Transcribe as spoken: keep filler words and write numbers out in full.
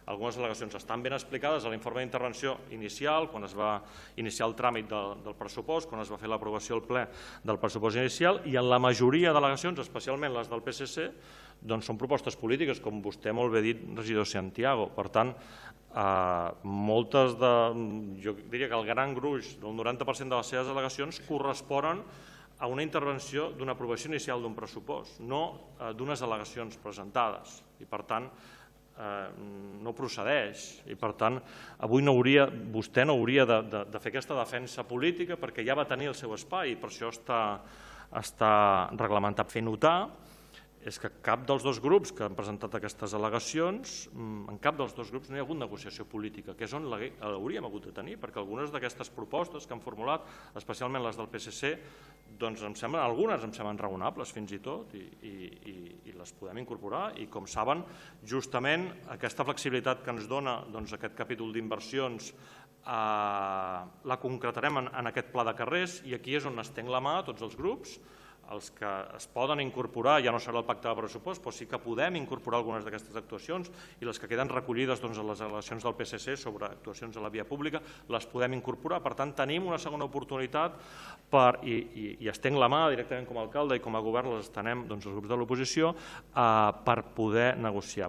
Algunes al·legacions estan ben explicades a l'informe d'intervenció inicial, quan es va iniciar el tràmit del pressupost, quan es va fer l'aprovació al ple del pressupost inicial, i en la majoria d'al·legacions, especialment les del P S C, doncs són propostes polítiques, com vostè molt bé ha dit, regidor Santiago. Per tant, moltes de... jo diria que el gran gruix, el noranta per cent de les seves al·legacions, corresponen a una intervenció d'una aprovació inicial d'un pressupost, no d'unes al·legacions presentades. I, per tant, no procedeix. I, per tant, avui vostè no hauria de fer aquesta defensa política perquè ja va tenir el seu espai i per això està reglamentat. Fer notar és que cap dels dos grups que han presentat aquestes al·legacions, en cap dels dos grups no hi ha hagut negociació política, que és on l'hauríem hagut de tenir, perquè algunes d'aquestes propostes que han formulat, especialment les del P S C, doncs em semblen, algunes em semblen raonables fins i tot i les podem incorporar i, com saben, justament aquesta flexibilitat que ens dona aquest capítol d'inversions la concretarem en aquest pla de carrers i aquí és on estenc la mà a tots els grups. Els que es poden incorporar, ja no serà el pacte de pressupost, però sí que podem incorporar algunes d'aquestes actuacions i les que queden recollides a les al·legacions del P S C sobre actuacions a la via pública les podem incorporar. Per tant, tenim una segona oportunitat i estenc la mà directament com a alcalde i com a govern les estenem els grups de l'oposició per poder negociar.